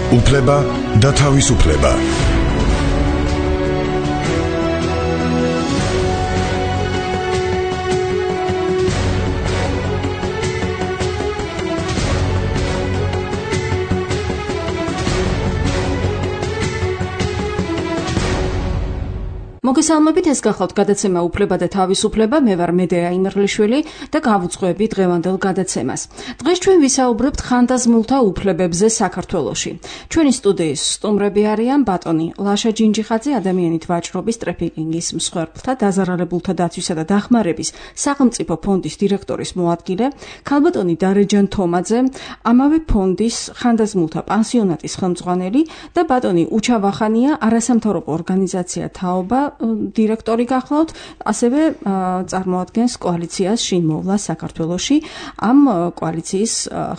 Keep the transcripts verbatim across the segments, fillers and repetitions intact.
უფლება და თავისუფლება. მოგესალმებით, ეს გახლავთ გადაცემა უფლება და თავისუფლება. მე ვარ მედეა იმერლიშვილი და გავუძღვები დღევანდელ გადაცემას. დღეს ჩვენ ვისაუბრებთ ხანდაზმულთა უფლებებზე საქართველოში. ჩვენი სტუდიის სტუმრები არიან ბატონი ლაშა ჯინჯიხაძე, ადამიანით ვაჭრობის, ტრეფიკინგის მსხვერპლთა, დაზარალებულთა დაცვისა და დახმარების სახელმწიფო ფონდის დირექტორის მოადგილე, ქალბატონი დარეჯან თომაძე, ამავე ფონდის ხანდაზმულთა პანსიონატის ხელმძღვანელი და ბატონი უჩა ვახანია, არასამთავრობო ორგანიზაცია თაობა დირექტორი გახლავთ, ასევე წარმოადგენს კოალიციას შინმოვლა საქართველოში. ამ კოალიციის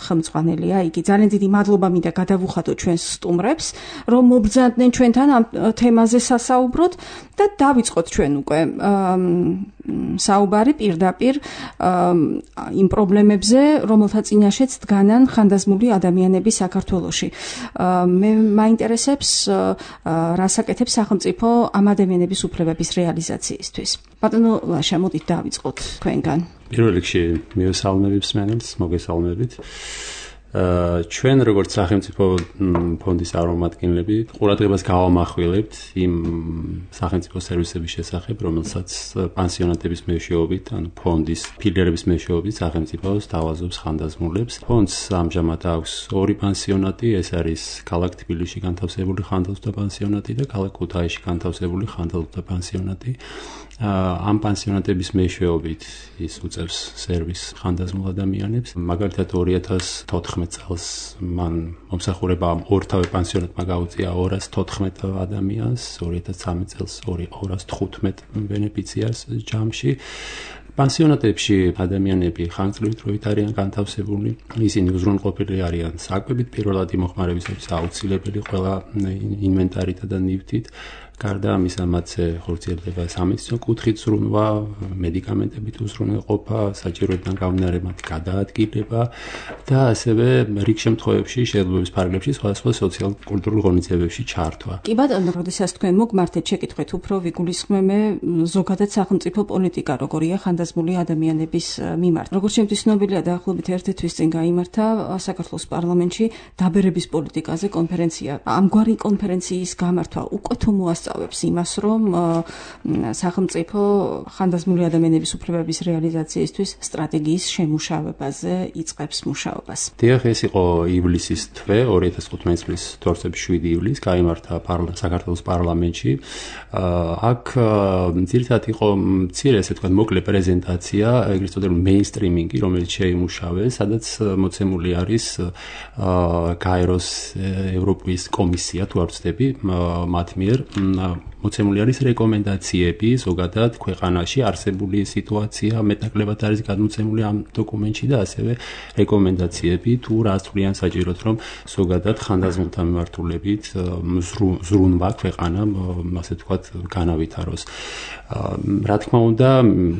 ხელმძღვანელია იგი. ძალიან დიდი მადლობა მინდა გადავუხადოთ ჩვენს სტუმრებს, რომ მობრძანდნენ ჩვენთან ამ თემაზე სასაუბროთ და დავიწყოთ ჩვენ უკვე საუბარი პირდაპირ იმ პრობლემებზე, რომელთა წინაშეც დგანან ხანდაზმული ადამიანები საქართველოში. მე მაინტერესებს რას აკეთებს სახელმწიფო ამ ადამიანების უფლებების რეალიზაციისთვის. ბატონო ლაშა, მოდით დავიწყოთ თქვენგან. პირველ რიგში მივესალმებით მსმენელს, მოგესალმებით. ჩვენ როგორც სახელმწიფო ფონდის წარმომადგენლები ყურადღებას გავამახვილებთ იმ სახელმწიფო სერვისების შესახებ, რომელსაც პანსიონატების მეშვეობით, ანუ ფონდის ფილიალების მეშვეობით სახელმწიფო სთავაზობს ხანდაზმულებს. ფონდს ამჟამად აქვს ორი პანსიონატი, ეს არის ქალაქ თბილისში განთავსებული ხანდაზმულთა პანსიონატი და ქალაქ ქუთაისში განთავსებული ხანდაზმულთა პანსიონატი. ამ პანსიონატების მეშვეობით ის უწევს სერვისს ხანდაზმულ ადამიანებს. მაგალითად ორი ათას თოთხმეტ წელს მან მომსახურება ორთავე პანსიონატმა გაუწია ორას თოთხმეტ ადამიანს, ორი ათას ცხრამეტ წელს ორას თხუთმეტ ბენეფიციარს ჯამში. პანსიონატებში ადამიანები ხანგრძლივით არიან განთავსებული, ისინი უზრუნველყოფილი არიან საკვებით, პირველად იმოხმარებისათვის აუცილებელი ყველა ინვენტარით და ნივთით. გარდა ამისა, მათზე ხორციელდება სამედიცინო კუთხით ზრუნვა, მედიკამენტებით უზრუნველყოფა, საჭიროებიდან გამომდინარე მათი გადაადგილება და ასევე რიგ შემთხვევებში შეძლებლობის ფარგლებში სხვადასხვა სოციალურ-კულტურულ ღონისძიებებში ჩართვა. კი ბატონო, როდესაც თქვენ მოგმართეთ, შეკითხვით უფრო ვიგულისხმე ზოგადად სახელმწიფო პოლიტიკა როგორია ხანდაზმული ადამიანების მიმართ. როგორც შემთხვევით ცნობილია, დაახლოებით ერთი თვის წინ გაიმართა საქართველოს პარლამენტში დაბერების პოლიტიკაზე კონფერენცია. ამგვარი კონფერენციის გამართვა უკვე თუ მოასწავ იმას, რომ სახელმწიფო ხანდაზმული ადამიანების უფლებების რეალიზაციისთვის სტრატეგიის შემუშავებაზე იწყებს მუშაობას. დიახ, ეს იყო ივლისის თვე, ორი ათას თხუთმეტი წლის თორსების შვიდი ივლისს გაიმართა საქართველოს პარლამენტში. აქ ძირითადად იყო მცირე, ესე ვთქვათ, მოკლე პრეზენტაცია, ეგრეთ წოდებული მეინსტრიმინგი, რომელიც შეიმუშავეს, სადაც მოცემული არის გაეროს ევროპის კომისია, თუ არ ვცდები, მათ მიერ მოცემული არის რეკომენდაციები ზოგადად ქვეყანაში არსებული სიტუაცია, მეტნაკლებად არის გადმოცემული ამ დოკუმენტში და ასევე რეკომენდაციები თუ რა თვლიან საჭიროდ, რომ ზოგადად ხანდაზმულთა მიმართულებით ზრუნვა ქვეყანა, ასე ვთქვათ, განავითაროს. რა თქმა უნდა,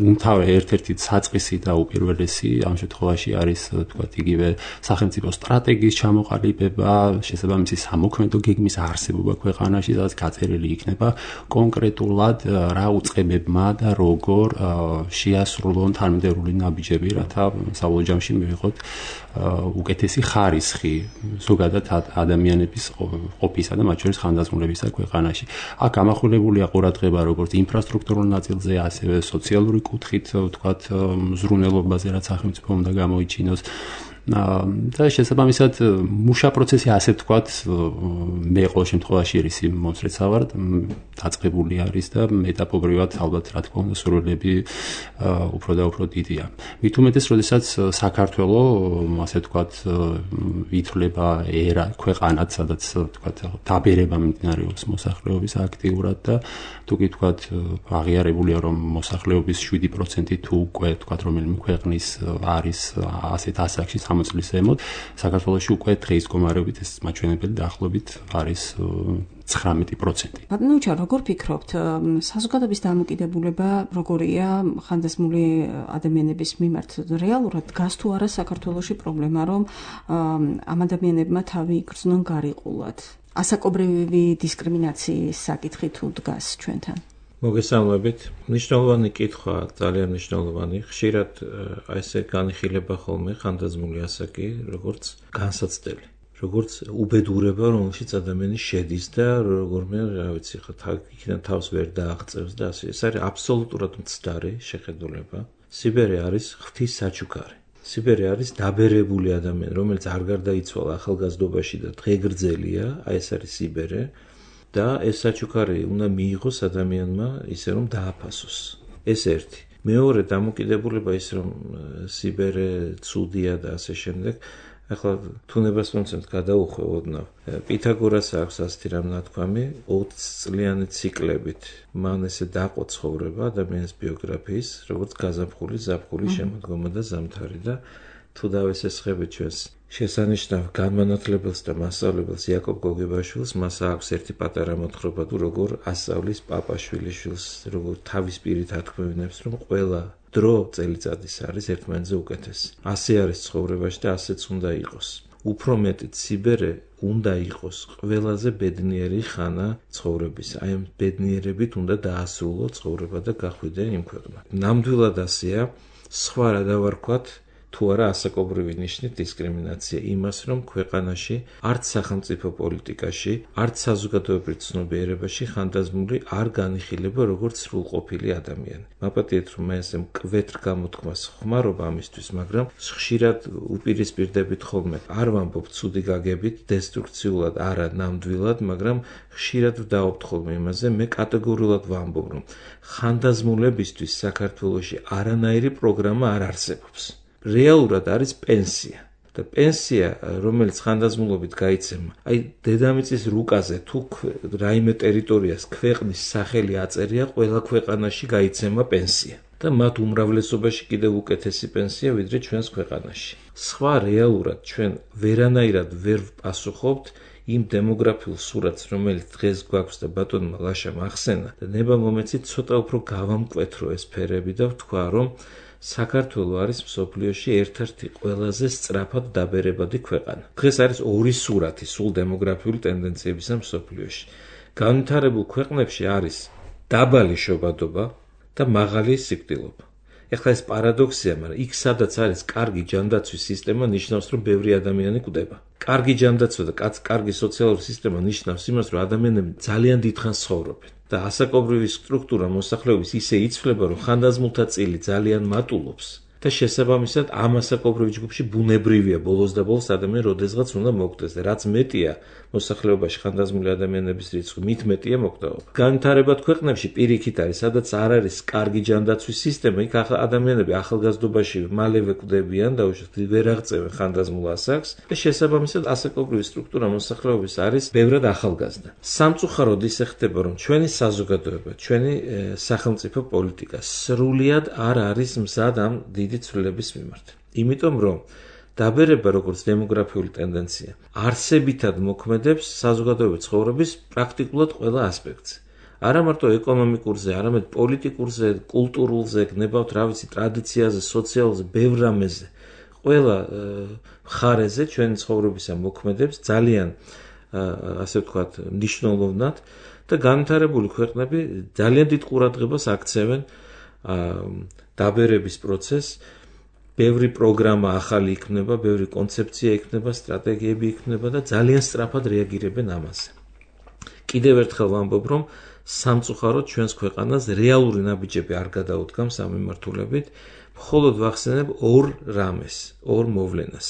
უმთავრესად ერთ-ერთი საწყისი და უპირველესი ამ შემთხვევაში არის, ვთქვათ, იგივე სახელმწიფო სტრატეგიის ჩამოყალიბება, შესაბამისი სამოქმედო გეგმის არსებობა ქვეყანაში, სადაც გაწერილი იქნება კონკრეტულად რა უწყებებმა და როგორ შეასრულონ თანმიმდევრული ნაბიჯები, რათა საბოლოო ჯამში მივიღოთ უკეთესი ხარისხი ზოგადად ადამიანების ყოფისა და მათ შორის ხანდაზმულებისა ქვეყანაში. აქ გამახვილებულია ყურადღება როგორც ინფრასტრუქტურულ ნაწილზე, ასევე სოციალური კუთხით, ვთქვათ, მზრუნველობაზე, რაც სახელმწიფო უნდა გამოიჩინოს. და შესაბამისად მუშა პროცესი, ასე ვთქვათ, მე ყოველ შემთხვევაში ისი მომსწრეცა ვარ, დაწყებული არის და ეტაპობრივად ალბათ რა თქმა უნდა სურვილები უფრო და უფრო დიდია. მით უმეტეს, როდესაც საქართველო, ასე ვთქვათ, ითვლება ერა ქვეყანად, სადაც ვთქვათ, დაბერება მიმდინარეობს მოსახლეობის აქტიურად და თუ კი ვთქვათ, აღიარებულია, რომ მოსახლეობის შვიდი პროცენტი თუ უკვე ვთქვათ, რომელიმე ქვეყნის არის ასეთ ასაკში ოცდახმეტ წლის ზემოთ, საქართველოში უკვე დღის მდგომარეობით ეს მაჩვენებელი დაახლოებით არის ცხრამეტი პროცენტი. ბატონო უჩა, როგორ ფიქრობთ, საზოგადოების დამოკიდებულება როგორია ხანდაზმული ადამიანების მიმართ? რეალურად დგას თუ არა საქართველოში პრობლემა, რომ ამ ადამიანებმა თავი იგრძნონ გარიყულად? ასაკობრივი დისკრიმინაციის საკითხი თუ დგას ჩვენთან? მოგესალმებით. მნიშვნელოვანი კითხვა, ძალიან მნიშვნელოვანი. ხშირად აი ესე განიხილება ხოლმე ხანდაზმული ასაკი, როგორც განსაცდელი, როგორც უბედურება, რომელშიც ადამიანი შედის და როგორმე, რა ვიცი, ხა იქიდან თავს ვერ დააღწევს და ასე. ეს არის აბსოლუტურად მცდარი შეხედულება. სიბერე არის ღვთის საჩუქარი. სიბერე არის დაბერებული ადამიანი, რომელიც არ გარდაიცვალა ახალგაზრდობაში და დღეგრძელია, აი ეს არის სიბერე. და ეს საჩუქარი უნდა მიიღოს ადამიანმა ისე რომ დააფასოს. ეს ერთი. მეორე დამოკიდებულება ის რომ სიბერე ცუდია და ასე შემდეგ. ახლა თუნებას მომცემთ გადაუხვევ ოდნავ. პითაგორას აქვს ასეთი რამ ნათქვამი, ოცი წლიანი ციკლებით მან ესე დაყო ცხოვრება ადამიანის ბიოგრაფიის, როგორც გაზაფხული, ზაფხული, შემოდგომა და ზამთარი და თუ დავესესხებით ჩვენს შესანიშნავ განმანათლებელს და მასწავლებელს იაკობ გოგებაშვილს, მას აქვს ერთი პატარა მოთხრობა თუ როგორ ასწავლის პაპაშვილიშვილს, როგორ თავის პირით ათქმევინებს, რომ ყველა დრო წელიწადის არის ერთმანეთზე უკეთესი. ასე არის ცხოვრებაში და ასეც უნდა იყოს. უფრო მეტიც სიბერე უნდა იყოს ყველაზე ბედნიერი ხანა ცხოვრების. აი ამ ბედნიერებით უნდა დაასრულო ცხოვრება და გახვიდე იმ ქვეყნად. ნამდვილად ასეა, სხვა რა დავარქვათ, თუ არა ასაკობრივი ნიშნით დისკრიმინაცია იმას, რომ ქვეყანაში არც სახელმწიფო პოლიტიკაში, არც საზოგადოებრივ ცნობიერებაში ხანდაზმული არ განიხილება როგორც სრულყოფილი ადამიანი. მაპატიეთ, რომ მე ესე მკვეთრ გამოთქმას ხმარობა ამისთვის, მაგრამ ხშირად უპირისპირდებით ხოლმე. არ ვამბობ ცუდი გაგებით, დესტრუქციულად, არა ნამდვილად, მაგრამ ხშირად ვდაობთ ხოლმე იმაზე, მე კატეგორიულად ვამბობ, რომ ხანდაზმულებისთვის საქართველოში არანაირი პროგრამა არ არსებობს. რეალურად არის პენსია და პენსია, რომელიც ხანდაზმულობით გაიცემა, აი დედამიწის რუკაზე თუ რაიმე ტერიტორიას ქვეყნის სახელი აწერია, ყველა ქვეყანაში გაიცემა პენსია და მათ უმრავლესობაში კიდევ უკეთესი პენსია ვიდრე ჩვენს ქვეყანაში. სხვა რეალურად ჩვენ ვერანაირად ვერ ვპასუხობთ იმ დემოგრაფიულ სურათს, რომელიც დღეს გვაქვს და ბატონმა ლაშამ ახსენა და ნება მომეცით ცოტა უფრო გავამკვეთრო ეს ფერები და ვთქვა, რომ საქართველო არის მსოფლიოში ერთ-ერთი ყველაზე სწრაფად დაბერებადი ქვეყანა. დღეს არის ორი სურათი სულ დემოგრაფიული ტენდენციებისა მსოფლიოში. განვითარებულ ქვეყნებში არის დაბალი შობადობა და მაღალი სიკვდილობა. ეხლა ეს პარადოქსია, მაგრამ იქ სადაც არის კარგი ჯანდაცვის სისტემა, ნიშნავს, რომ ბევრი ადამიანი კვდება. კარგი ჯანდაცვა და კარგი სოციალური სისტემა ნიშნავს იმას, რომ ადამიანები ძალიან დიდხანს ცხოვრობენ. და ასაკობრივი სტრუქტურა მოსახლეობის ისე იცვლება, რომ ხანდაზმულთა წილი ძალიან მატულობს და შესაბამისად ამ ასაკობრივ ჯგუფში ბუნებრივია ბოლოს და ბოლოს ადამიანი როდესღაც უნდა მოკვდეს და რაც მეტია მოსახლეობაში ხანდაზმული ადამიანების რიცხვი, მით მეტია მოკვდაობა. განვითარებად ქვეყნებში პირიქით არის, სადაც არ არის კარგი ჯანდაცვის სისტემა, იქ ადამიანები ახალგაზრდობაში მალევე კვდებიან და უშუალოდ ვერ აღწევენ ხანდაზმულ ასაკს და შესაბამისად ასაკობრივი სტრუქტურა მოსახლეობის არის ბევრად ახალგაზრდა. სამწუხაროდ ისე ხდება, რომ ჩვენი საზოგადოება, ჩვენი სახელმწიფო პოლიტიკა სრულიად არ არის მზად ამ დიდი ცვლილების მიმართ. იმიტომ რომ დაბერება როგორც დემოგრაფიული ტენდენცია არსებითად მოქმედებს საზოგადოებრივი ცხოვრების პრაქტიკულად ყველა ასპექტზე. არა მარტო ეკონომიკურზე, არამედ პოლიტიკურზე, კულტურულზე, გნებავთ რა ვიცი, ტრადიციაზე, სოციალზე, ბევრ რამეზე. ყველა მხარეზე ჩვენი ცხოვრებისა მოქმედებს ძალიან ასე ვთქვათ, მნიშვნელოვნად და განვითარებული ქვეყნები ძალიან დიდ ყურადღებას აქცევენ დაბერების პროცესს. ბევრი პროგრამა ახალი იქნება, ბევრი კონცეფცია იქნება, სტრატეგიები იქნება და ძალიან სწრაფად რეაგირებენ ამაზე. კიდევ ერთხელ ვამბობ, რომ სამწუხაროდ ჩვენს ქვეყანას რეალური ნაბიჯები არ გადაუდგამს ამ მიმართულებით, მხოლოდ ვახსენებ ორ რამეს, ორ მოვლენას.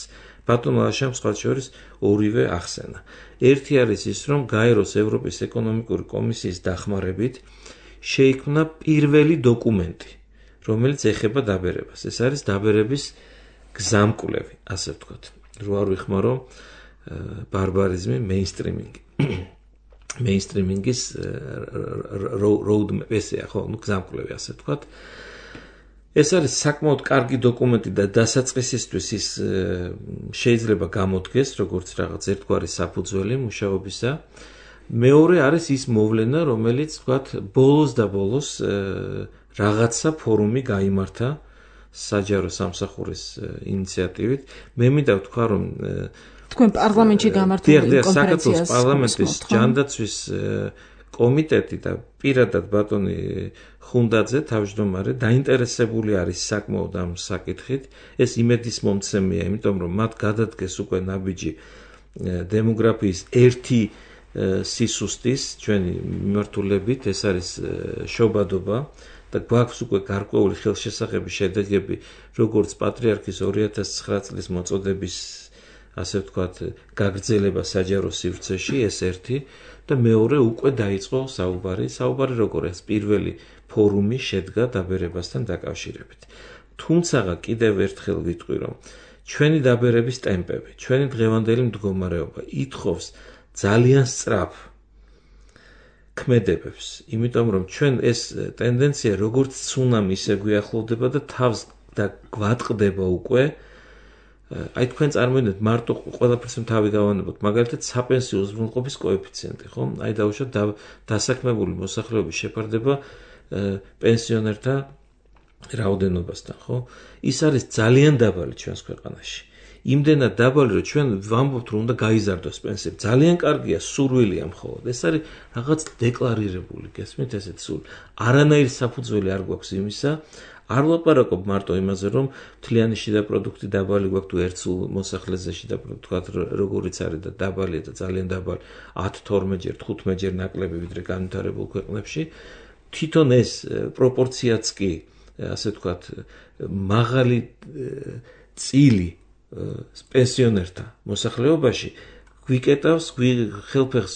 ბატონმა ლაშამ სხვა შორის ორივე ახსენა. ერთი არის ის, რომ გაეროს ევროპის ეკონომიკური კომისიის დახმარებით შეიქმნა პირველი დოკუმენტი, რომელიც ეხება დაბერებას. ეს არის დაბერების გზამკვლევი, ასე ვთქვათ. რო არ ვიხმარო ბარბარიზმი, მეინსტრიმინგი. მეინსტრიმინგის roadmap ესეა, ხო, ну გზამკვლევი, ასე ვთქვათ. ეს არის საკმაოდ კარგი დოკუმენტი და დასაწყისისთვის ის შეიძლება გამოდგეს როგორც რაღაც ერთგვარი საფუძველი მუშაობისა. მეორე არის ის მოვლენა, რომელიც ვთქვათ, ბოლოს და ბოლოს რაღაცა ფორუმი გაიმართა საჯარო სამსახურის ინიციატივით. მე მინდა ვთქვა, რომ თქვენ პარლამენტში გამართული კონფერენციას საქართველოს პარლამენტის ჯანდაცვის კომიტეტი და პირადად ბატონი ხუნდაძე თავმჯდომარე დაინტერესებული არის საკმაოდ ამ საკითხით. ეს იმედის მომცემია, იმიტომ რომ მათ გადადგეს უკვე ნაბიჯი დემოგრაფიის ერთი სისუსტის ჩვენი მიმართულებით, ეს არის შობადობა და გვაქვს უკვე გარკვეული ხელშესახების შედეგები, როგორც პატრიარქის ორი ათას ცხრა წლის მოწოდების ასე ვთქვათ, გაგრძელება საჯარო სივრცეში, ეს ერთი და მეორე უკვე დაიწყო საუბარი, საუბარი როგორ ეს პირველი ფორუმი შედგა დაბერებასთან დაკავშირებით. თუმცა კიდევ ერთხელ ვიტყვი, რომ ჩვენი დაბერების ტემპები, ჩვენი დღევანდელი მდგომარეობა ითხოვს ძალიან სწრაფ ქმედებებს, იმიტომ რომ ჩვენ ეს ტენდენცია როგორც ცუნამი ისე გვიახლოვდება და თავს და გვატყდება უკვე. აი თქვენ წარმოიდგინეთ მარტო ყველაფერს თავი გავანებოთ, მაგალითად საპენსიო უზრუნველყოფის კოეფიციენტი, ხო? აი დაუშვათ დასაქმებული მოსახლეობის შეფარდება პენსიონერთა რაოდენობასთან, ხო? ის არის ძალიან დაბალი ჩვენს ქვეყანაში. იმდენად დაბალი, რომ ჩვენ ვამბობთ, რომ უნდა გაიზარდოს პენსიები. ძალიან კარგია, სურვილია მხოლოდ. ეს არის რაღაც დეკლარირებული, გესმით ესეთ სულ. არანაირი საფუძველი არ გვაქვს იმისა. არ ვლაპარაკობ მარტო იმაზე, რომ მთლიანი შიდა პროდუქტი დაბალი გვაქვს თუ ერთ სულ მოსახლეზე შიდა პროდუქტი როგორიც არის და დაბალია და ძალიან დაბალი ათი თორმეტჯერ თხუთმეტჯერ ნაკლები ვიდრე განვითარებულ ქვეყნებში. თვითონ ეს პროპორციაც კი, ასე ვთქვათ, მაღალი წილი პენსიონერთა მოსახლეობაში გვიკეტავს, ხელფეხს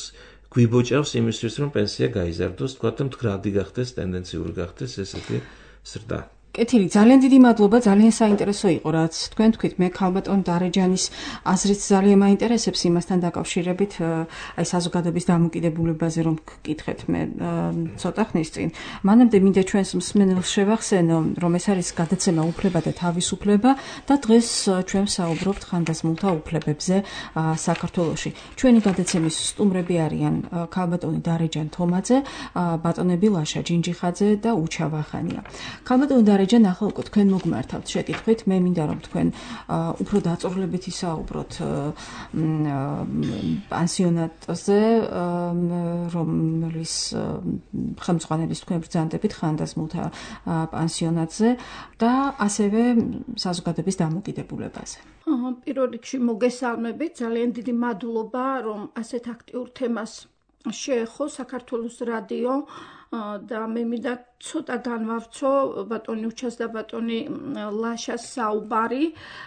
გვიბოჭავს იმისთვის, რომ პენსია გაიზარდოს, ვთქვათ, და მდგრადი გახდეს, ტენდენციური გახდეს ესეთი ზრდა. კეთილი, ძალიან დიდი მადლობა, ძალიან საინტერესო იყო, რაც თქვენ თქვით. მე ქალბატონ დარეჯანის აზრით ძალიან მაინტერესებს იმასთან დაკავშირებით, აი საზოგადოების დამოკიდებულებაზე რომ გკითხეთ მე ცოტა ხნის წინ. მანამდე მინდა ჩვენს მსმენელს შევახსენო, რომ ეს არის გადაცემა უფლება და თავისუფლება და დღეს ჩვენ საუბრობთ ხანდაზმულთა უფლებებზე საქართველოში. ჩვენი გადაცემის სტუმრები არიან ქალბატონი დარეჯან თომაძე, ბატონები ლაშა ჯინჯიხაძე და უჩა ვახანია. ქალბატონი დარეჯანი ახლა უკვე თქვენ მოგმართავთ შეკითხვით, მე მინდა რომ თქვენ უფრო დაწვრილებით ისაუბროთ პანსიონატზე, რომლის ხელმძღვანელის თქვენ ბრძანდებით ხანდაზმულთა პანსიონატზე და ასევე საზოგადოების დამოკიდებულებაზე. პირველ რიგში მოგესალმებით, ძალიან დიდი მადლობა, რომ ასეთ აქტიურ თემას შეეხო საქართველოს რადიო და მე მინდა ცოტა განვავრცო ბატონი უჩას და ბატონი ლაშას საუბარი,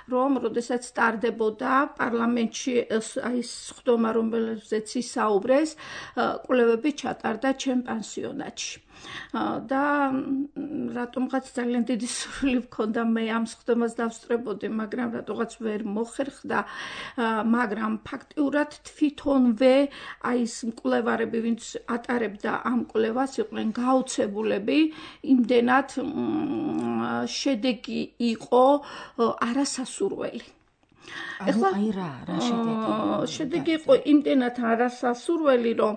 რომ როდესაც სტარდებოდა პარლამენტში აი ხდომა, რომელზეც ისაუბრეს, კვლევები ჩატარდა ჩემ პანსიონატში. და რატომღაც ძალიან დიდი სურვილი მქონდა მე ამ ხდომას დავსწრებოდი, მაგრამ რატოღაც ვერ მოხერხდა, მაგრამ ფაქტიურად თვითონვე აი ეს მკვლევარები, ვინც ატარებდა ამ კვლევას, იყვნენ გაოცებულები, იმდენად შედეგი იყო არასასურველი. ეხლა აი რა რა შედეგი შედეგი იყო იმდენად არასასურველი, რომ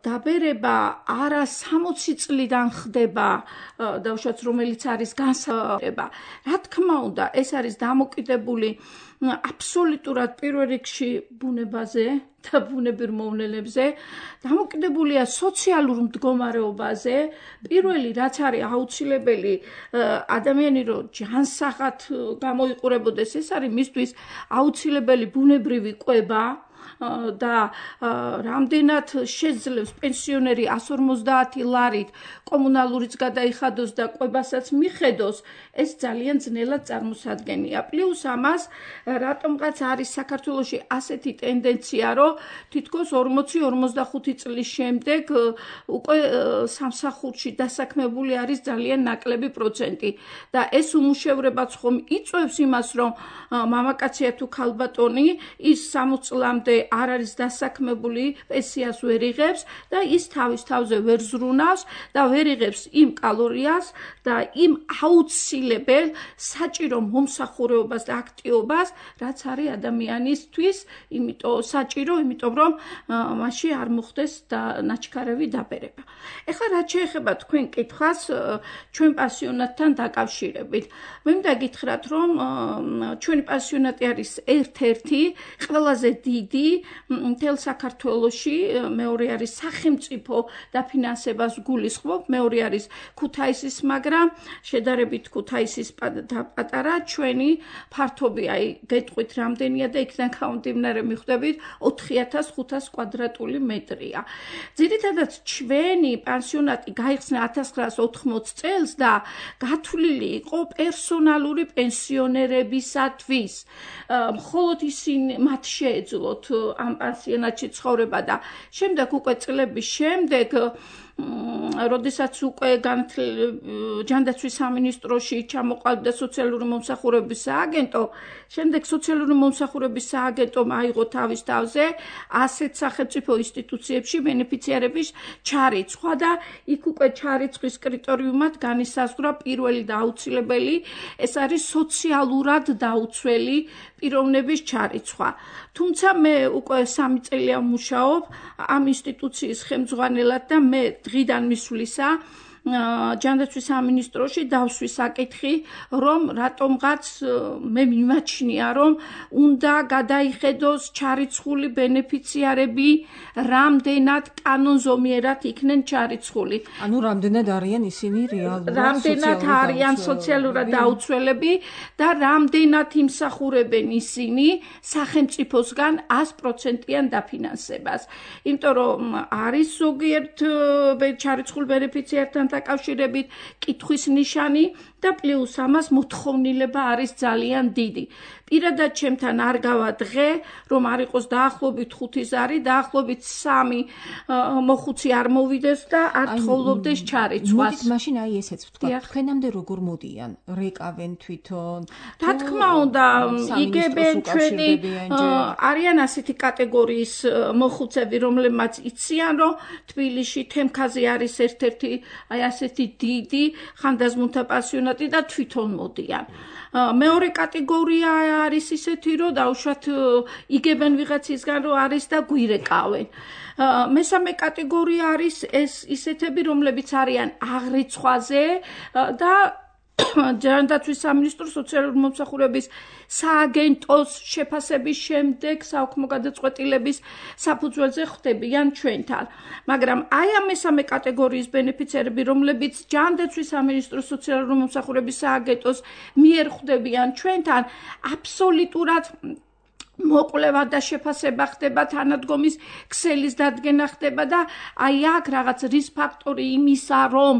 დაბერება არა სამოცი წლიდან ხდება, დავუშვათ, რომელიც არის განსაკუთრება. რა თქმა უნდა, ეს არის დამოკიდებული აბსოლუტურად პირველ რიგში ბუნებაზე და ბუნებრივ მოვლენებზე, დამოკიდებულია სოციალურ მდგომარეობაზე. პირველი რაც არის აუცილებელი ადამიანი რომ ჯანსაღად გამოიყურებოდეს, ეს არის მისთვის აუცილებელი ბუნებრივი კვება და რამდენად შეძლებს პენსიონერი εκατს ორმოცდაათი ლარით კომუნალურიც გადაიხადოს და კვებასაც მიხედოს, ეს ძალიან ძნელად წარმოსადგენია. პლუს ამას რატომღაც არის საქართველოში ასეთი ტენდენცია, რომ თითქოს ორმოცი ორმოცდახუთი წლის შემდეგ უკვე სამსახურში დასაქმებული არის ძალიან ნაკლები პროცენტი და ეს უმუშევრებაც ხომ იწვევს იმას, რომ მამაკაცია თუ ქალბატონი ის სამოცი წლამდე არ არის დასაქმებული, პენსიას ვერ იღებს და ის თავის თავზე ვერ ზრუნავს და ვერ ვერ იღებს იმ კალორიას და იმ აუცილებელ საჭირო მომსახურეობას და აქტივობას, რაც არის ადამიანისთვის, იმიტომ საჭირო, იმიტომ რომ მასში არ მოხდეს და ნაჩქარევი დაბერება. ეხლა რაც შეეხება თქვენ კითხვას ჩვენ პასიონატთან დაკავშირებით. მე მინდა გითხრათ, რომ ჩვენი პასიონატი არის ერთ-ერთი ყველაზე დიდი მთელ საქართველოში, მეორე არის სახელმწიფო დაფინანსებას გულისხმობ, მეორე არის ქუთაისის, მაგრამ შედარებით ქუთაისის პატარა, ჩვენი ფართობი, აი გეტყვით რამდენია და იქიდან გამომდინარე მიხვდებით ოთხი ათას ხუთას კვადრატული მეტრია. ძირითადად ჩვენი პანსიონატი გაიხსნა ათას ცხრაასა ოთხმოცი წელს და გათვლილი იყო პერსონალური პენსიონერებისათვის. მხოლოდ ისინი მათ შეეძლოთ ამ პანსიონატში ცხოვრება და შემდეგ უკვე წლების შემდეგ როდესაც უკვე ჯანდაცვის სამინისტროში ჩამოყალიბდა სოციალური მომსახურების სააგენტო, შემდეგ სოციალური მომსახურების სააგენტომ აიღო თავის თავზე ასეთ სახელმწიფო ინსტიტუციებში ბენეფიციარების ჩარიცხვა და იქ უკვე ჩარიცხვის კრიტერიუმად განისაზღვრა პირველი და აუცილებელი, ეს არის სოციალურად დაუცველი პიროვნების ჩარიცხვა. თუმცა მე უკვე სამი წელია ვმუშაობ ამ ინსტიტუციის ხელმძღვანელად და მე დღიდან მისვლისა ჯანდაცვის სამინისტროში დავსვი საკითხი, რომ რატომღაც მე მიმაჩნია, რომ უნდა გადაიხედოს ჩარიცხული ბენეფიციარები, რამდენად კანონზომიერად იქნენ ჩარიცხული. ანუ რამდენად არიან ისინი რეალურად რამდენად არიან სოციალურად დაუცველები და რამდენად იმსახურებენ ისინი სახელმწიფოსგან ას პროცენტიან დაფინანსებას. იმიტომ რომ არის ზოგიერთ ჩარიცხულ ბენეფიციართან დაკავშირებით კითხვის ნიშანი და პლუს ამას მოთხოვნილება არის ძალიან დიდი. პირადად ჩემთან არ გავა დღე, რომ არ იყოს დაახლოებით ხუთი ზარი, დაახლოებით სამი მოხუცი არ მოვიდეს და არ თხოვლობდეს ჩარიცხვას. მოდით მაშინ აი ესეც ვთქვა, თქვენამდე როგორ მოდიან? რეკავენ თვითონ? რა თქმა უნდა, იგებენ ჩვენი არიან ასეთი კატეგორიის მოხუცები, რომლებმაც იციან, რომ თბილისში თემქაზე არის ერთ-ერთი აი ასეთი დიდი ხანდაზმულთა პასიონატი და თვითონ მოდიან. მეორე კატეგორია არის ისეთი, რომ დაუშვათ იგებენ ვიღაცისგან, რომ არის და გვირეკავენ. მესამე კატეგორია არის ეს ისეთები, რომლებიც არიან აღრიცხვაზე და ჯანდაცვის სამინისტროს სოციალური მომსახურების სააგენტოს შეფასების შემდეგ საუქმო გადაწყვეტილების საფუძველზე ხვდებიან ჩვენთან. მაგრამ აი ამ მესამე კატეგორიის ბენეფიციარები, რომლებიც ჯანდაცვის სამინისტროს სოციალური მომსახურების სააგენტოს მიერ ხვდებიან ჩვენთან, აბსოლუტურად მოკვლევა და შეფასება ხდება, თანადგომის ქსელის დადგენა ხდება და აი აქ რაღაც რის ფაქტორი იმისა, რომ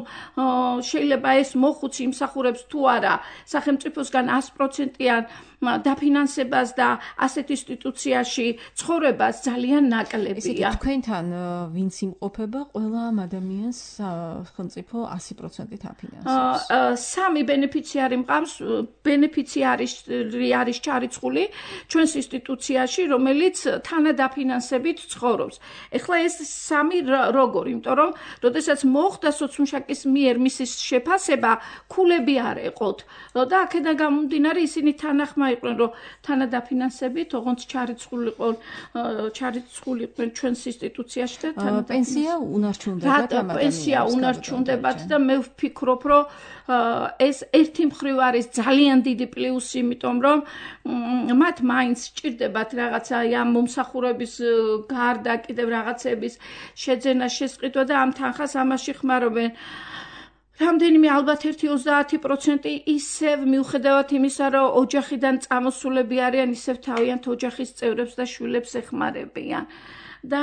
შეიძლება ეს მოხუცი იმსახურებს თუ არა სახელმწიფოსგან ას პროცენტიან დაფინანსებას და ასეთ ინსტიტუციაში ცხოვრებას ძალიან ნაკლებია. თქვენთან ვინც იმყოფება, ყველა ამ ადამიანს სახელმწიფო ასი პროცენტით აფინანსებს. სამი ბენეფიციარი მყავს, ბენეფიციარი არის ჩარიცხული ჩვენს ინსტიტუციაში, რომელიც თანადაფინანსებით ცხოვრობს. ეხლა ეს სამი როგორ, იმიტომ რომ როდესაც მოხდა სოციმუშაკის მიერ მისის შეფასება, ქულები არ ეყოთ და აქედან გამომდინარე ისინი თანახმა იყვნენ, რომ თანადაფინანსებით, ოღონდ ჩარიცხულიყვნენ, ჩარიცხულიყვნენ ჩვენს ინსტიტუციაში და თანადაფინანსებით. პენსია უნარჩუნდებათ ამ ადამიანებს. პენსია უნარჩუნდებათ და მე ვფიქრობ, რომ ეს ერთი მხრივ არის ძალიან დიდი პლუსი, იმიტომ რომ მათ მაინც სჭირდებათ რაღაცა ამ მომსახურების გარდა კიდევ რაღაცების შეძენა, შესყიდვა და ამ თანხას ამაში ხმარობენ. რამდენიმე ალბათ ერთი ოცდაათი პროცენტი ისევ მიუხედავად იმისა, რომ ოჯახიდან წამოსულები არიან, ისევ თავიანთ ოჯახის წევრებს და შვილებს ეხმარებიან. და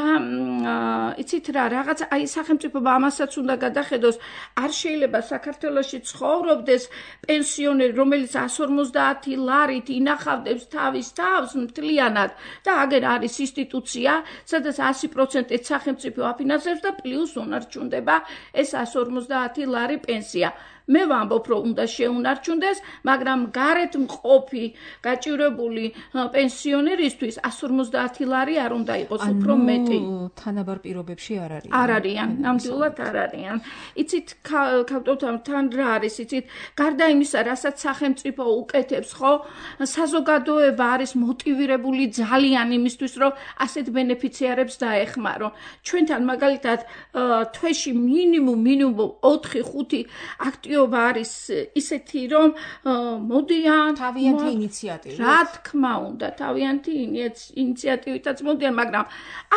იცით რა, რაღაც აი სახელმწიფო ამასაც უნდა გადახედოს, არ შეიძლება საქართველოში ცხოვრობდეს პენსიონერი, რომელიც ას ორმოცდაათი ლარით ინახავდებს თავის თავს მთლიანად და აგერ არის ინსტიტუცია, სადაც ასი პროცენტით სახელმწიფო აფინანსებს და პლუს უნარჩუნდება ეს ას ორმოცდაათი ლარი პენსია. მე ვამბობ, რომ უნდა შეუნარჩუნდეს, მაგრამ გარეთ მყოფი, გაჭირებული პენსიონერისთვის one fifty ლარი არ უნდა იყოს, უფრო მეტი. თანაბარ პირობებში არ არის. არ არიან, ნამდვილად არ არიან. იცით, ქავტოვთან რა არის, იცით, გარდა იმისა, რასაც სახელმწიფო უკეთებს, ხო? საზოგადოება არის მოტივირებული ძალიან იმისთვის, რომ ასეთ ბენეფიციარებს დაეხმარო. ჩვენთან მაგალითად თვეში მინიმუმ მინიმუმ ოთხი ხუთი აქტიობა არის ისეთი, რომ მოდიან თავიანთი ინიციატივით. რა თქმა უნდა, თავიანთი ინიციატივითაც მოდიან, მაგრამ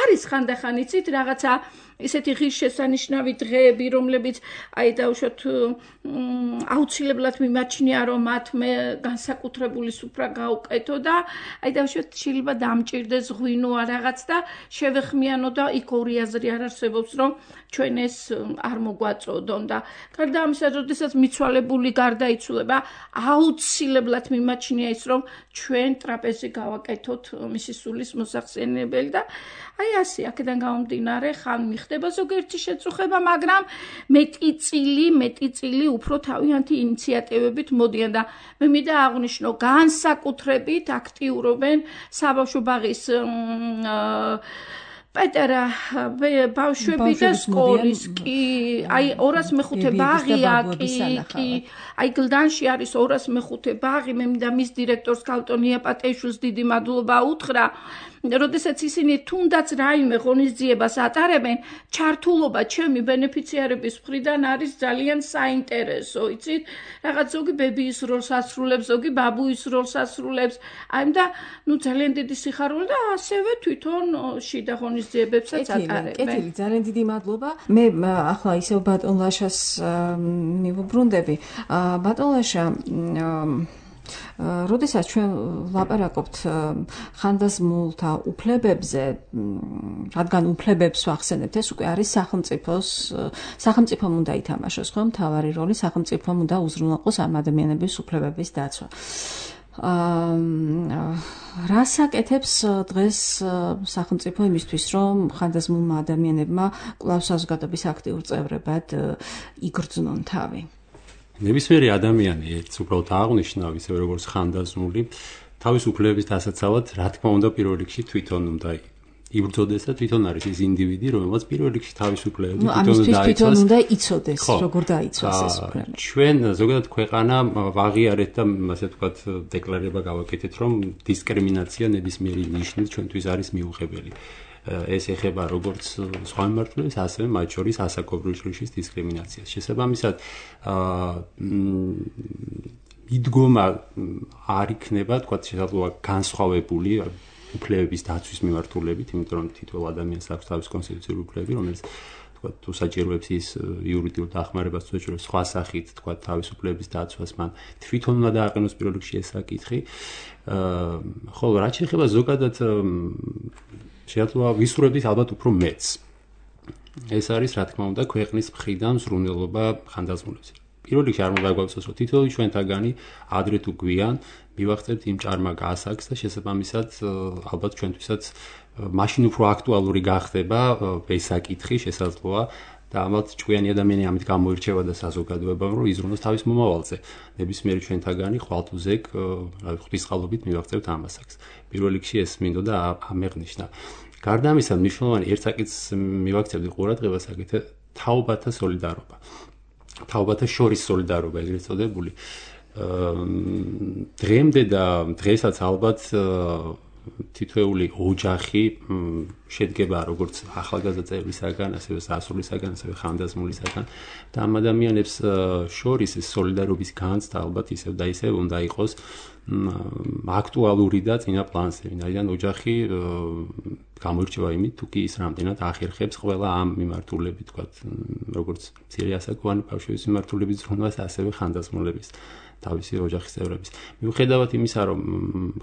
არის ხანდახან იცით რაღაცა ისეთი ღირსშესანიშნავი დღეები, რომლებიც აი დავუშვათ აუცილებლად მიმაჩნია, რომ მათ მე განსაკუთრებული სუფრა გაუკეთო და აი დავუშვათ შეიძლება დამჭირდეს ღვინო რაღაც და შევეხმიანო და იქ ორი აზრი არ არსებობს, რომ ჩვენ ეს არ მოგვაწოდონ და გარდა ამისა, როდესაც მიცვალებული გარდაიცვლება, აუცილებლად მიმაჩნია ის, რომ ჩვენ ტრაპეზი გავაკეთოთ მისი სულის მოსახსენებელი და აი ასე აქედან გამომდინარე ხან მიხდება ზოგიერთი შეწუხება, მაგრამ მეტი წილი, მეტი წილი უფრო თავიანთი ინიციატივებით მოდიან და მე მინდა აღვნიშნო, განსაკუთრებით აქტიურობენ საბავშვო ბაღის პეტერა ბავშვები და სკოლის კი აი ორას მეხუთე ბაღია კი აი გლდანში არის ორას მეხუთე ბაღი მე მინდა მის დირექტორს ქალტონია პატეიშვილს დიდი მადლობა უთხრა როდესაც ისინი თუნდაც რაიმე ღონისძიებას ატარებენ ჩართულობა ჩემი ბენეფიციარების მხრიდან არის ძალიან საინტერესო იცით რაღაც ზოგი ბებიის როლს ასრულებს ზოგი ბაბუის როლს ასრულებს აი და ნუ ძალიან დიდი სიხარული და ასევე თვითონ შიდა ღონისძიებებსაც ატარებენ კეთილი ძალიან დიდი მადლობა მე ახლა ისევ ბატონ ლაშას მივუბრუნდები ბატონ ლაშა როდესაც ჩვენ ვლაპარაკობთ ხანდაზმულთა უფლებებზე, რადგან უფლებებს ვახსენებთ, ეს უკვე არის სახელმწიფოს, სახელმწიფომ უნდა ითამაშოს, ხო, მთავარი როლი, სახელმწიფომ უნდა უზრუნველყოს ამ ადამიანების უფლებების დაცვა. რას აკეთებს დღეს სახელმწიფო იმისთვის, რომ ხანდაზმულმა ადამიანებმა კვლავ საზოგადოების აქტიურ წევრებად იგრძნონ თავი? ნებისმიერი ადამიანი ერთ უბრალოდ აღნიშნა ისე როგორც ხანდაზმული თავის უფლებების დასაცავად რა თქმა უნდა პირველ რიგში თვითონ უნდა იბრძოდეს და თვითონ არის ის ინდივიდი რომელსაც პირველ რიგში თავის უფლებები თვითონ უნდა იცოდეს როგორ დაიცვას ეს უფლება ჩვენ ზოგადად ქვეყანა ვაღიარეთ და ასე ვთქვათ დეკლარება გავაკეთეთ რომ დისკრიმინაცია ნებისმიერი ნიშნით ჩვენთვის არის მიუღებელი ეს ეხება როგორც სხვა მიმართულებას, ასევე მათ შორის ასაკობრივი შრიშის დისკრიმინაციას. შესაბამისად, მიდგომა არ იქნება, თქვათ, შესაძლოა განსხვავებული უფლებების დაცვის მიმართულებით, იმიტომ რომ თითოეულ ადამიანს აქვს თავის კონსტიტუციური უფლებები, რომელიც თქვათ, თუ საჭიროებს ის იურიდიულ დახმარებას, თუ საჭიროებს სხვა სახით, თქვათ, თავის უფლებების დაცვას, მან თვითონ უნდა დააყენოს პირველ რიგში ეს საკითხი. ხოლო რაც შეეხება ზოგადად შეიძლება ვისურვებდით ალბათ უფრო მეც. ეს არის რა თქმა უნდა ქვეყნის მხრიდან ზრუნველობა ხანდაზმულებს. პირველ რიგში არ უნდა გვაქვს რომ თითოეული ჩვენთაგანი ადრე თუ გვიან მივახცევთ იმ ჭარმა გასაგს და შესაბამისად ალბათ ჩვენთვისაც მაშინ უფრო აქტუალური გახდება ეს საკითხი შესაძლოა და ამათ ჭკვიანი ადამიანი ამით გამოირჩევა და საზოგადოებამ რომ იზრუნოს თავის მომავალზე. ნებისმიერი ჩვენთაგანი ხვალთუზეკ ღვთისყალობით მივახცევთ ამასაკს. პირველ რიგში ეს მინდოდა ამეღნიშნა. გარდა ამისა, მნიშვნელოვანი ერთ საკითხს მივაქცევდი ყურადღებას, აგეთ თაობათა სოლიდარობა. თაობათა შორის სოლიდარობა ეგრეთ წოდებული. დღემდე და დღესაც ალბათ თითოეული ოჯახი შედგება როგორც ახალგაზრდა წევრისაგან, ასევე სასულისაგან, ასევე ხანდაზმულისაგან და ამ ადამიანებს შორის ეს სოლიდარობის განცდა ალბათ ისევ და ისევ უნდა იყოს აქტუალური და წინა პლანზე. ვინაიდან ოჯახი გამოირჩევა იმით, თუ კი ის რამდენად ახერხებს ყველა ამ მიმართულებით, თქვათ, როგორც მცირე ასაკოვანი ბავშვების მიმართულებით ზრუნვას, ასევე ხანდაზმულების თავისი ოჯახის წევრების. მიუხედავად იმისა, რომ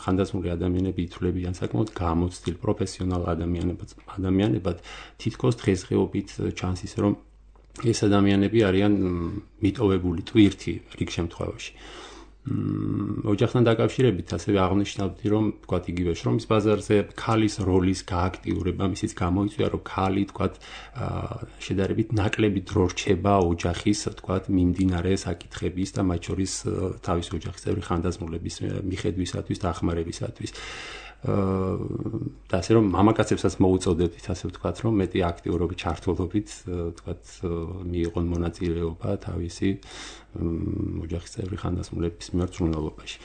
ხანდაზმული ადამიანები ითვლებიან საკმაოდ გამოცდილ პროფესიონალ ადამიანებად, ადამიანებად, თითქოს დღესდღეობით ჩანს ის, რომ ეს ადამიანები არიან მიტოვებული ტვირთი რიგ შემთხვევაში. ოჯახთან დაკავშირებით ასევე აღნიშნავდი, რომ თქვათ იგივე შრომის ბაზარზე ქალის როლის გააქტიურება, მისიც გამოიწვია, რომ ქალი თქვათ შედარებით ნაკლები დრო რჩება ოჯახის თქვათ მიმდინარე საკითხების და მათ შორის თავის ოჯახის წევრი ხანდაზმულების მიხედვისათვის და ახმარებისათვის. და ასე რომ მამაკაცებსაც მოუწოდებდით, ასე ვთქვათ, რომ მეტი აქტიურობით, ჩართულობით, ვთქვათ, მიიღონ მონაწილეობა თავისი ოჯახის წევრი ხანდაზმულების მიმართ ზრუნველობაში.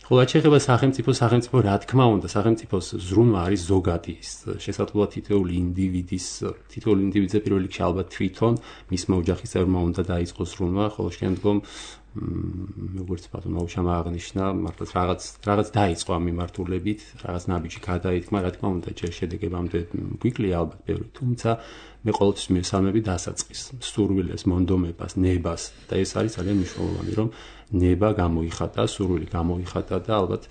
ხოლო რაც შეეხება სახელმწიფოს, სახელმწიფო რა თქმა უნდა, სახელმწიფოს ზრუნვა არის ზოგადი, შესაძლოა თითოეული ინდივიდის, თითოეული ინდივიდზე პირველ რიგში ალბათ თვითონ მისმა ოჯახის წევრმა უნდა დაიწყოს ზრუნვა, ხოლო შემდგომ როგორც ბატონო აუშამა აღნიშნა, მართლაც რაღაც რაღაც დაიწყო ამ მიმართულებით, რაღაც ნაბიჯი გადაითქმა, რა თქმა უნდა, ჯერ შედეგებამდე გვიკლია ალბათ ბევრი, თუმცა მე ყოველთვის მივესალმები დასაწყის, სურვილეს, მონდომებას, ნებას და ეს არის ძალიან მნიშვნელოვანი, რომ ნება გამოიხატა, სურვილი გამოიხატა და ალბათ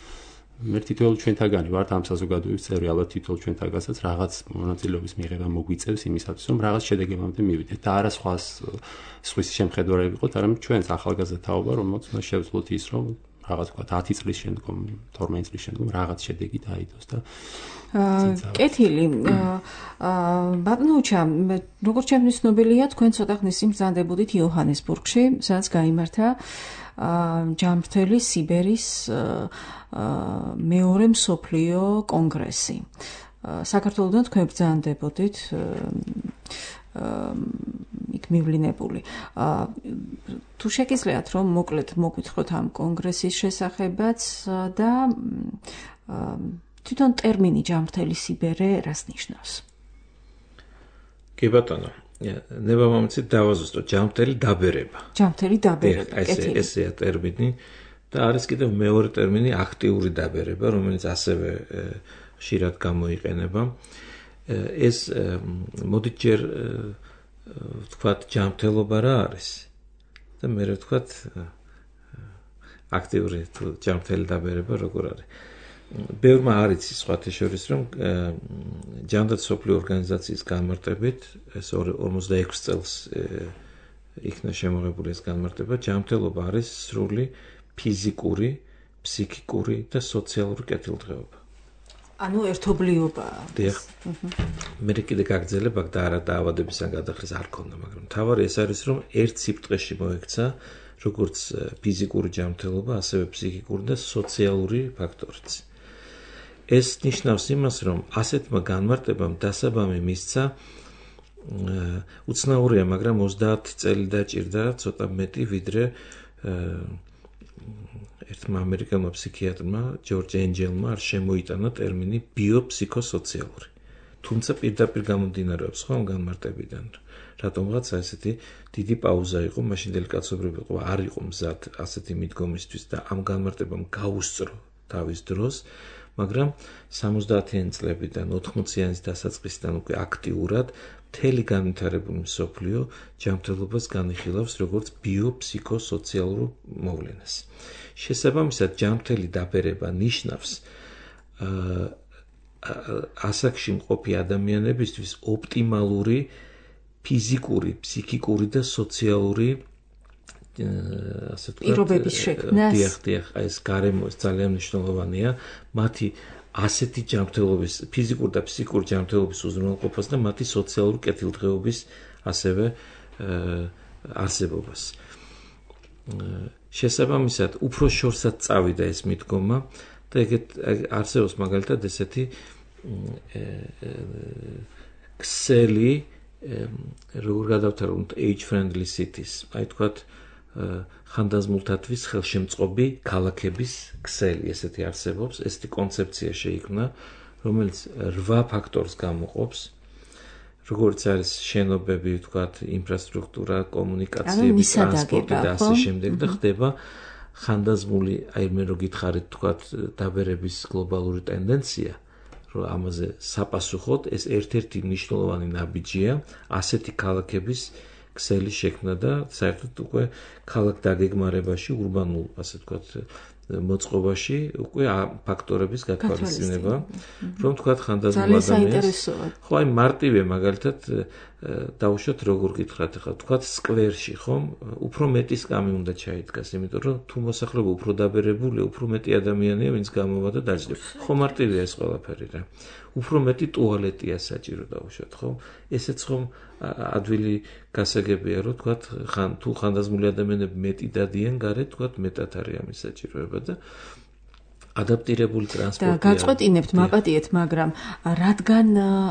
მე თითოეულ ჩვენთაგანი ვართ ამ საზოგადოების წევრი, ალბათ თითოეულ ჩვენთაგანსაც რაღაც მონაწილეობის მიღება მოგვიწევს იმისათვის, რომ რაღაც შედეგებამდე მივიდეთ და არა სხვას სხვის შემხედარები ვიყოთ, არამედ ჩვენს ახალგაზრდა თაობა, რომელსაც უნდა შევძლოთ ის, რომ რაღაც თქვა ათი წლის შემდგომ, თორმეტი წლის შემდგომ რაღაც შედეგი დაიდოს და კეთილი ბატონოჩა, როგორც ჩემთვის ცნობილია, თქვენ ცოტა ხნის წინ ბრძანდებოდით იოჰანესბურგში, სადაც გაიმართა ჯანმრთელი სიბერის მეორე მსოფლიო კონგრესი. საქართველოდან თქვენ ბრძანდებოდით იქ მივლინებული. თუ შეგიძლიათ რომ მოკლედ მოგვითხროთ ამ კონგრესის შესახებაც და თვითონ ტერმინი ჯანმრთელი სიბერე რას ნიშნავს? კი ბატონო, ნება მომცით დავაზუსტოთ ჯანმრთელი დაბერება. ჯანმრთელი დაბერება, კეთილი. ესეა ტერმინი და არის კიდევ მეორე ტერმინი აქტიური დაბერება, რომელიც ასევე ხშირად გამოიყენება. ეს მოდით ჯერ ვთქვათ ჯანმრთელობა რა არის და მე ვთქვათ აქტიური თუ ჯანმრთელი დაბერება როგორ არის. ბევრმა არ იცის სხვათა შორის, რომ ჯანდაცვის მსოფლიო ორგანიზაციის განმარტებით ეს ორმოცდაექვსი წელს იქნა შემოღებული ეს განმარტება, ჯანმრთელობა არის სრული ფიზიკური, ფსიქიკური და სოციალური კეთილდღეობა. ანუ ერთობლიობა. დიახ. მე კიდე გაგრძელებ აქ და არა დაავადებისგან გადახრის არ ქონდა, მაგრამ თავარი ეს არის, რომ ერთ სიბრტყეში მოექცა როგორც ფიზიკური ჯანმრთელობა, ასევე ფსიქიკური და სოციალური ფაქტორიც. ეს ნიშნავს იმას, რომ ასეთმა განმარტებამ დასაბამი მისცა უცნაურია, მაგრამ ოცდაათი წელი დაჭირდა, ცოტა მეტი, ვიდრე ერთმა ამერიკელმა ფსიქიატრმა, ჯორჯ ენჯელმა არ შემოიტანა ტერმინი ბიოფსიქოსოციალური. თუმცა პირდაპირ გამომდინარეობს ხო ამ განმარტებიდან. რატომღაც ესეთი დიდი პაუზა იყო, მაშინდელი კაცობრიობა იყო, არ იყო მზად ასეთი მიდგომისთვის და ამ განმარტებამ გაუსწრო თავის დროს, მაგრამ სამოცდაათიანი წლებიდან ოთხმოციანი დასაწყისიდან უკვე აქტიურად მთელი განვითარებული მსოფლიო ჯანმრთელობას განიხილავს როგორც ბიოფსიქოსოციალურ მოვლენას. შესაბამისად, ჯანმრთელი დაბერება ნიშნავს ასაკში მყოფი ადამიანებისთვის ოპტიმალური ფიზიკური, ფსიქიკური და სოციალური ასე ვთქვათ, პირობების შექმნას. დიახ, დიახ, ეს გარემო ეს ძალიან მნიშვნელოვანია, მათი ასეთი ჯანმრთელობის, ფიზიკური და ფსიქიკური ჯანმრთელობის უზრუნველყოფას და მათი სოციალური კეთილდღეობის ასევე არსებობას. შესაბამისად, უფრო შორსაც წავიდა ეს მიდგომა და ეგეთ არსებობს მაგალითად ესეთი ქსელი, როგორ გადავთარგმნოთ age friendly cities, აი თქვათ ხანდაზმულთათვის ხელშემწყობი ქალაქების ქსელი, ესეთი არსებობს, ესეთი კონცეფცია შეიქმნა, რომელიც რვა ფაქტორს გამოყოფს, როგორც არის შენობები, ვთქვათ, ინფრასტრუქტურა, კომუნიკაციები, ტრანსპორტი და ასე შემდეგ და ხდება ხანდაზმული, აი მე რო გითხარით, ვთქვათ, დაბერების გლობალური ტენდენცია, რომ ამაზე საპასუხოდ ეს ერთ-ერთი მნიშვნელოვანი ნაბიჯია ასეთი ქალაქების ქსელის შექმნა და საერთოდ უკვე ქალაქ დაგეგმარებაში, ურბანულ, ასე ვთქვათ, მოწყობაში უკვე ფაქტორების გათვალისწინება, რომ თქვა ხანდაზმულ ადამიანს ადამიანს. ხო, აი მარტივია მაგალითად დავუშვათ როგორ გითხრათ ახლა, თქვა სკვერში, ხომ? უფრო მეტი სკამი უნდა ჩაიდგას, იმიტომ რომ თუ მოსახლეობა უფრო დაბერებულია, უფრო მეტი ადამიანია, ვინც გამოვა და დაძლევა. ხო, მარტივია ეს ყველაფერი რა. უფრო მეტი ტუალეტია საჭირო დავუშვათ, ხო? ესეც ხომ ადვილი გასაგებია, რომ თქვა ხან თუ ხანდაზმული ადამიანები მეტი დადიან გარეთ, თქვა მეტად არის ამის საჭიროება და ადაპტირებული ტრანსპორტია. და გაწყვეტინებთ, მაპატიეთ, მაგრამ რადგან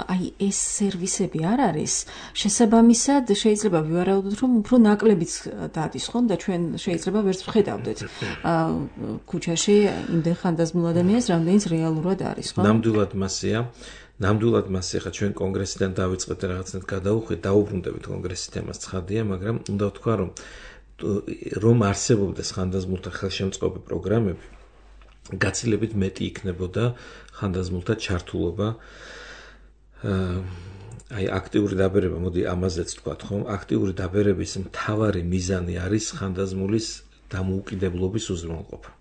აი ეს სერვისები არ არის, შესაბამისად შეიძლება ვივარაუდოთ, რომ უფრო ნაკლებიც დადის, ხომ და ჩვენ შეიძლება ვერც ვხედავდეთ ქუჩაში იმდენ ხანდაზმულ ადამიანს, რამდენიც რეალურად არის, ხო? ნამდვილად მასეა. ნამდვილად მასე ხა ჩვენ კონგრესიდან დავიწყეთ რაღაცნაირად გადავუხვით, დაუბრუნდებით კონგრესის თემას ცხადია, მაგრამ უნდა ვთქვა, რომ რომ არსებობდეს ხანდაზმულთა ხელშემწყობი პროგრამები, გაცილებით მეტი იქნებოდა ხანდაზმულთა ჩართულობა აი აქტიური დაბერება, მოდი ამაზეც ვთქვათ, ხომ? აქტიური დაბერების მთავარი მიზანი არის ხანდაზმულის დამოუკიდებლობის უზრუნველყოფა.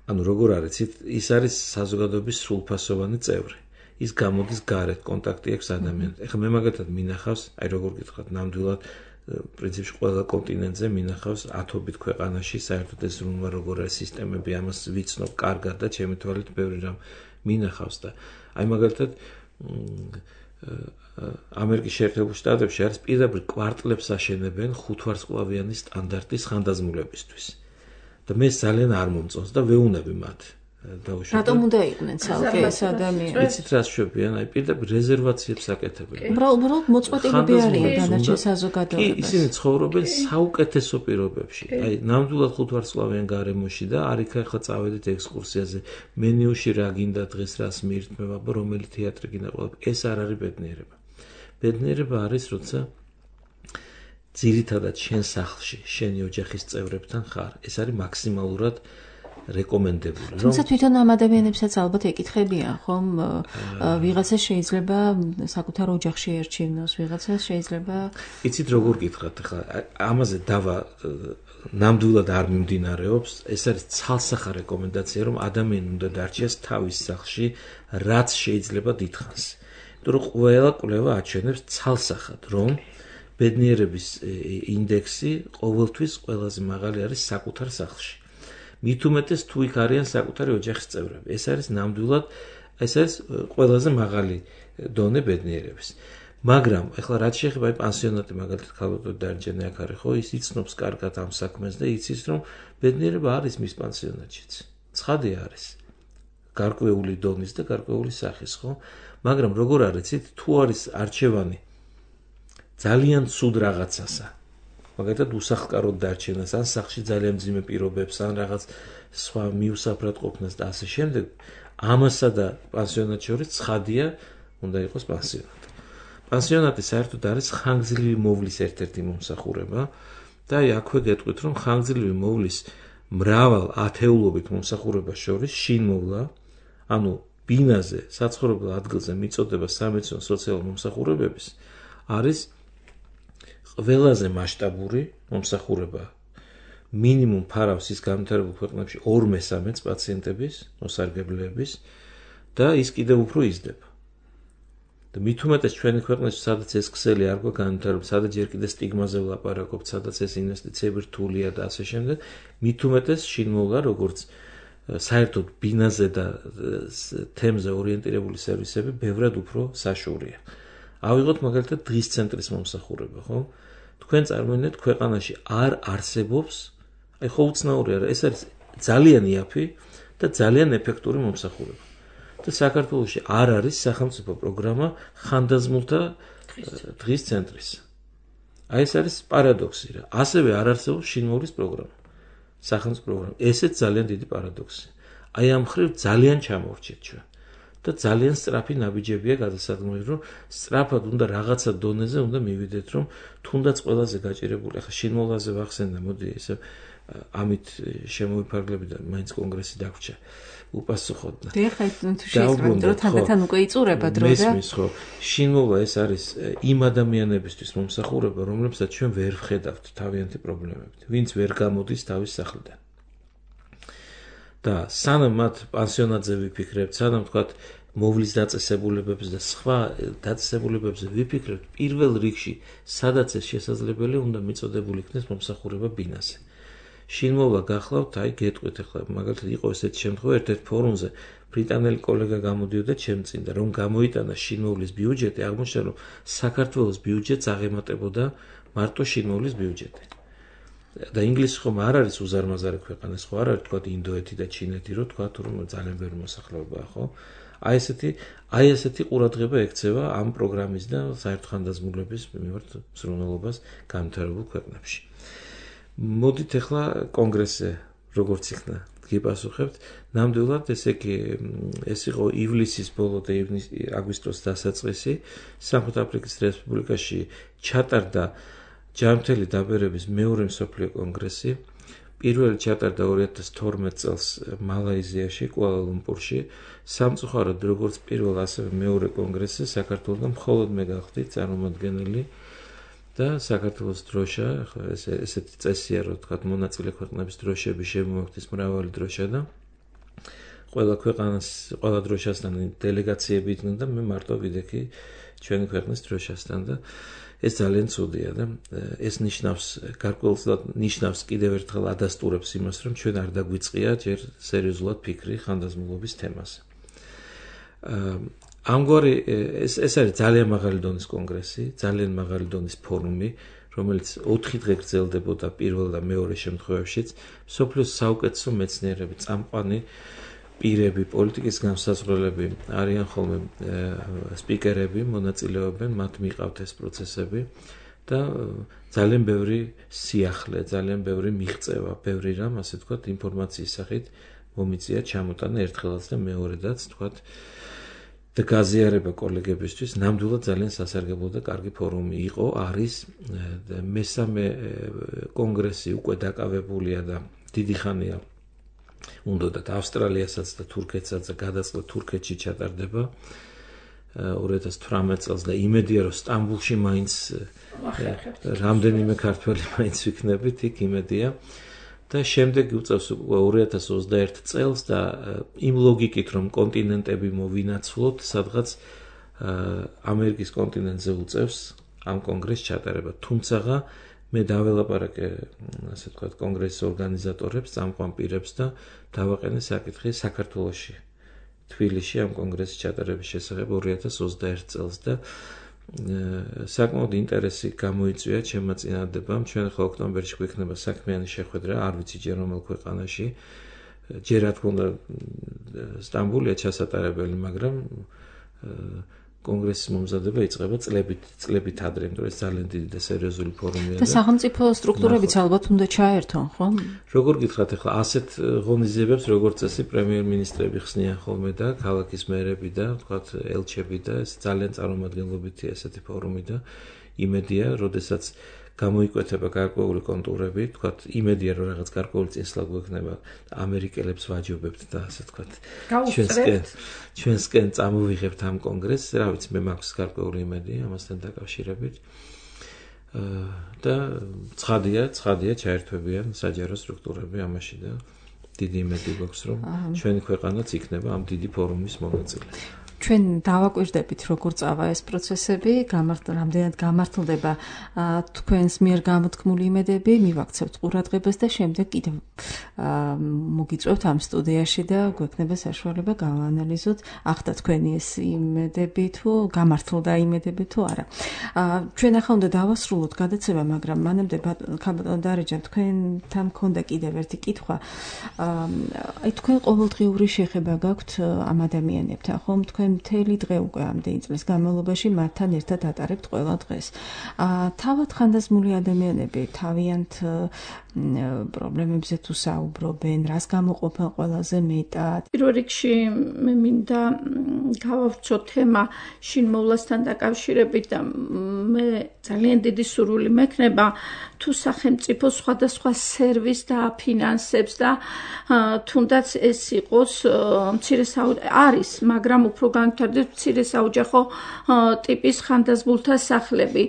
ანუ როგორ არის, ის არის საზოგადოების სრულფასოვანი წევრი. ის გამოდის გარეთ, კონტაქტი აქვს ადამიანთან. ეხლა მე მაგათად მინახავს, აი როგორ გითხრათ, ნამდვილად პრინციპში ყველა კონტინენტზე მინახავს ათობით ქვეყანაში საერთოდ ეს ზრუნვა როგორ არის სისტემები, ამას ვიცნობ კარგად და ჩემი თვალით ბევრი რამ მინახავს და აი მაგალითად ამერიკის შეერთებულ შტატებში არის პირდაპირ კვარტლებს აშენებენ ხუთვარსკვლავიანი სტანდარტის ხანდაზმულებისთვის. და მე ძალიან არ მომწონს და ვეუნები მათ. რატომ უნდა იყვნენ ცალკე ეს ადამიანები? იცით რა შვებიან, აი პირდაპირ რეზერვაციებს აკეთებენ. უბრალოდ მოწყვეტილები არიან დანარჩენ საზოგადოებას. ისინი ცხოვრობენ საუკეთესო პირობებში. აი ნამდვილად ხუთვარსკვლავიან გარემოში და არიქა ახლა წავედით ექსკურსიაზე, მენიუში რა გინდა დღეს რას მიირთმევა, რომელი თეატრი გინდა ყველა. ეს არ არის ბედნიერება. ბედნიერება არის, როცა ძირითადად შენ სახლში, შენი ოჯახის წევრებთან ხარ. ეს არის მაქსიმალურად რეკომენდებული. თუმცა თვითონ ამ ადამიანებსაც ალბათ ეკითხებიან, ხომ? ვიღაცა შეიძლება საკუთარ ოჯახში ერჩივნოს, ვიღაცა შეიძლება იცით როგორ გითხრათ, ხა ამაზე დავა ნამდვილად არ მიმდინარეობს, ეს არის ცალსახა რეკომენდაცია, რომ ადამიანი უნდა დარჩეს თავის სახლში, რაც შეიძლება დიდხანს. იმიტომ რომ ყველა კვლევა აჩვენებს ცალსახად, რომ ბედნიერების ინდექსი ყოველთვის ყველაზე მაღალი არის საკუთარ სახლში. მით უმეტეს თუ იქ არიან საკუთარი ოჯახის წევრები. ეს არის ნამდვილად, ეს არის ყველაზე მაღალი დონე ბედნიერების. მაგრამ ეხლა რაც შეეხება აი პანსიონატი მაგალითად ქალბატონი დარჯანი აქ არის, ხო, ის იცნობს კარგად ამ საქმეს და იცის, რომ ბედნიერება არის მის პანსიონატშიც. ცხადია არის. გარკვეული დონის და გარკვეული სახის, ხო? მაგრამ როგორ არის, იცით, თუ არის არჩევანი ძალიან ცუდ რაღაცასა, მაგალითად უსახლკაროდ დარჩენას, ან სახლში ძალიან მძიმე პირობებს, ან რაღაც სხვა მიუსაფრად ყოფნას და ასე შემდეგ, ამასა და პანსიონატს შორის ცხადია, უნდა იყოს პანსიონატი. პანსიონატი საერთოდ არის ხანგრძლივი მოვლის ერთ-ერთი მომსახურება და აი აქვე გეტყვით, რომ ხანგრძლივი მოვლის მრავალ ათეულობით მომსახურებას შორის შინმოვლა, ანუ ბინაზე, საცხოვრებელ ადგილზე მიწოდება სამედიცინო სოციალური მომსახურებების არის ყველაზე მასშტაბური მომსახურება. მინიმუმ ფარავს ის განვითარებულ ქვეყნებში ორ მესამედს პაციენტების, მოსარგებლეების და ის კიდევ უფრო იზრდება. და მით უმეტეს ჩვენი ქვეყნებში, სადაც ეს ქსელი არ გვაქვს განვითარებული, სადაც ჯერ კიდევ სტიგმაზე ვლაპარაკობთ, სადაც ეს ინვესტიციები რთულია და ასე შემდეგ, მით უმეტეს შინმოვლა, როგორც საერთოდ ბინაზე და თემზე ორიენტირებული სერვისები ბევრად უფრო საშუალია. ავიღოთ მაგალითად დღის ცენტრის მომსახურება, ხო? თქვენ წარმოიდგინეთ, ქვეყანაში არ არსებობს, აი ხო უცნაური არა, ეს არის ძალიან იაფი და ძალიან ეფექტური მომსახურება. და საქართველოში არ არის სახელმწიფო პროგრამა ხანდაზმულთა დღის ცენტრის. აი ეს არის პარადოქსი რა. ასევე არ არსებობს შინმოვლის პროგრამა. სახელმწიფო პროგრამა. ესეც ძალიან დიდი პარადოქსია. აი ამ ხრივ ძალიან ჩამოვრჩეთ ჩვენ. და ძალიან სწრაფი ნაბიჯებია გადასადგმელი, რომ სწრაფად უნდა რაღაცა დონეზე უნდა მივიდეთ, რომ თუნდაც ყველაზე გაჭირებული, ახლა შინმოვლაზე ვახსენდა, მოდი ესე ამით შემოვიფარგლები და მაინც კონგრესი დაგვრჩა უპასუხოთ. და ახლა თუ შეიძლება დრო თანდათან უკვე იწურება დრო და მესმის ხო, შინმოვლა ეს არის იმ ადამიანებისთვის მომსახურება, რომლებსაც ჩვენ ვერ ვხედავთ თავიანთი პრობლემებით, ვინც ვერ გამოდის თავის სახლიდან. და სანამ მათ პანსიონატზე ვიფიქრებთ, სანამ თქვათ მოვლის დაწესებულებებს და სხვა დაწესებულებებზე ვიფიქრებთ, პირველ რიგში სადაც ეს შესაძლებელი უნდა მიწოდებული იქნეს მომსახურება ბინაზე. შინმოვლა გახლავთ, აი გეტყვით ახლა, მაგალითად იყო ესეთი შემთხვევა, ერთ-ერთ ფორუმზე ბრიტანელი კოლეგა გამოდიოდა ჩემ წინ და რომ გამოიტანა შინმოვლის ბიუჯეტი, აღმოჩნდა რომ საქართველოს ბიუჯეტს აღემატებოდა მარტო შინმოვლის ბიუჯეტი. და ინგლისი ხომ არ არის უზარმაზარი ქვეყანა, ხო არ არის თქვა ინდოეთი და ჩინეთი, რომ თქვა რომ ძალიან ბევრი მოსახლეობაა, ხო? აი ესეთი, აი ესეთი ყურადღება ექცევა ამ პროგრამის და საერთო ხანდაზმულების მიმართ მსრუნველობას განვითარებულ ქვეყნებში. მოდით ახლა კონგრესზე როგორც იქნა გიპასუხებთ, ნამდვილად ესე იგი ეს იყო ივლისის ბოლო და აგვისტოს დასაწყისი, სამხრეთაფრიკის რესპუბლიკაში ჩატარდა ჯანმრთელი დაბერების მეორე მსოფლიო კონგრესი. პირველი ჩატარდა ორი ათას თორმეტ წელს მალაიზიაში, კუალა-ლუმპურში. სამწუხაროდ, როგორც პირველ, ასევე მეორე კონგრესზე საქართველოსთან მხოლოდ მე გავხდით წარმომადგენელი და საქართველოს დროშა, ესეთი წესია, რომ თქვა მონაწილე ქვეყნების დროშები შემოაქვთ მრავალი დროშა და ყველა ქვეყანას, ყველა დროშასთან დელეგაციები იდგნენ და მე მარტო ვიდექი ჩვენი ქვეყნის დროშასთან და ეს ძალიან ცუდია და ეს ნიშნავს, გარკვეულწილად ნიშნავს კიდევ ერთხელ ადასტურებს იმას, რომ ჩვენ არ დაგვიწყია ჯერ სერიოზულად ფიქრი ხანდაზმულობის თემაზე. ამგვარი ეს ეს არის ძალიან მაღალი დონის კონგრესი, ძალიან მაღალი დონის ფორუმი, რომელიც ოთხი დღე გრძელდებოდა პირველ და მეორე შემთხვევაშიც. მსოფლიოს საუკეთესო მეცნიერები, წამყვანი პირები, პოლიტიკის განსაზღვრელები არიან ხოლმე სპიკერები, მონაწილეობენ, მათ მიყავთ ეს პროცესები და ძალიან ბევრი სიახლე, ძალიან ბევრი მიღწევა, ბევრი რამ, ასე ვთქვათ, ინფორმაციის სახით მომიწია ჩამოტანა ერთხელაც და მეორედაც, ვთქვათ, და გაზიარება კოლეგებისთვის ნამდვილად ძალიან სასარგებლო და კარგი ფორუმი იყო, არის მესამე კონგრესი უკვე დაკავებულია და დიდი ხანია უნდათ ავსტრალიასაც და თურქეთსაც და გადაწყდა თურქეთში ჩატარდება ორი ათას თვრამეტ წელს და იმედია რომ სტამბულში მაინც რამდენიმე ქართველი მაინც ვიქნებით იქ იმედია და შემდეგ უწევს უკვე ორი ათას ოცდაერთი წელს და იმ ლოგიკით რომ კონტინენტები მოვინაცვლოთ სადღაც ამერიკის კონტინენტზე უწევს ამ კონგრესს ჩატარება თუმცა მე დაველაპარაკე ასე ვთქვათ კონგრესის ორგანიზატორებს, წამყვან პირებს და დავაყენე საკითხი საქართველოში, თბილისში ამ კონგრესის ჩატარების შესახებ ორი ათას ოცდაერთი წელს და საკმაოდ ინტერესი გამოიწვია ჩემმა წინადადებამ. ჩვენ ხო ოქტომბერში გვექნება საქმიანი შეხვედრა, არ ვიცი ჯერ რომელ ქვეყანაში. ჯერ რა თქმა უნდა სტამბულია ჩასატარებელი, მაგრამ კონგრესის მომზადება იწყება წლებით, წლებით ადრე, იმიტომ რომ ეს ძალიან დიდი და სერიოზული ფორუმია და სახელმწიფო სტრუქტურებიც ალბათ უნდა ჩაერთონ, ხო? როგორ გითხრათ ახლა ასეთ ღონისძიებებს როგორც წესი პრემიერ-მინისტრები ხსნიან ხოლმე და ქალაქის მერები და ვთქვათ ელჩები და ეს ძალიან წარმომადგენლობითია ესეთი ფორუმი და იმედია, როდესაც გამოიკვეთება გარკვეული კონტურები, თქვათ, იმედია რომ რაღაც გარკვეული წინსვლა გვექნება, ამერიკელებს ვაჯობებთ და ასე თქვათ. ჩვენსკენ ჩვენსკენ წამოვიღებთ ამ კონგრესს, რა ვიცი, მე მაქვს გარკვეული იმედი ამასთან დაკავშირებით. და ცხადია, ცხადია ჩაერთვებიან საჯარო სტრუქტურები ამაში და დიდი იმედი გვაქვს რომ ჩვენი ქვეყანაც იქნება ამ დიდი ფორუმის მონაწილე. ჩვენ დავაკვირდებით როგორ წავა ეს პროცესები, რამდენად გამართლდება თქვენს მიერ გამოთქმული იმედები, მივაქცევთ ყურადღებას და შემდეგ კიდევ მოგიწევთ ამ სტუდიაში და გვექნება საშუალება გავაანალიზოთ, ახლა თქვენი ეს იმედები თუ გამართლდა იმედები თუ არა. ჩვენ ახლა უნდა დავასრულოთ გადაცემა, მაგრამ მანამდე ბატონ დარეჯან თქვენთან მქონდა კიდევ ერთი კითხვა. აი თქვენ ყოველდღიური შეხება გაქვთ ამ ადამიანებთან, ხომ? თქვენ მთელი დღე უკვე ამდენი წლის განმავლობაში მათთან ერთად ატარებთ ყველა დღეს. თავად ხანდაზმული ადამიანები თავიანთ პრობლემებზე თუ საუბრობენ, რას გამოყოფენ ყველაზე მეტად? პირველ რიგში მე მინდა გავავრცო თემა შინმოვლასთან დაკავშირებით და მე ძალიან დიდი სურვილი მექნება თუ სახელმწიფო სხვადასხვა სერვისს და ფინანსებს და თუნდაც ეს იყოს მცირე არის, მაგრამ უფრო განვითარდეს მცირე საოჯახო ტიპის ხანდაზმულთა სახლები.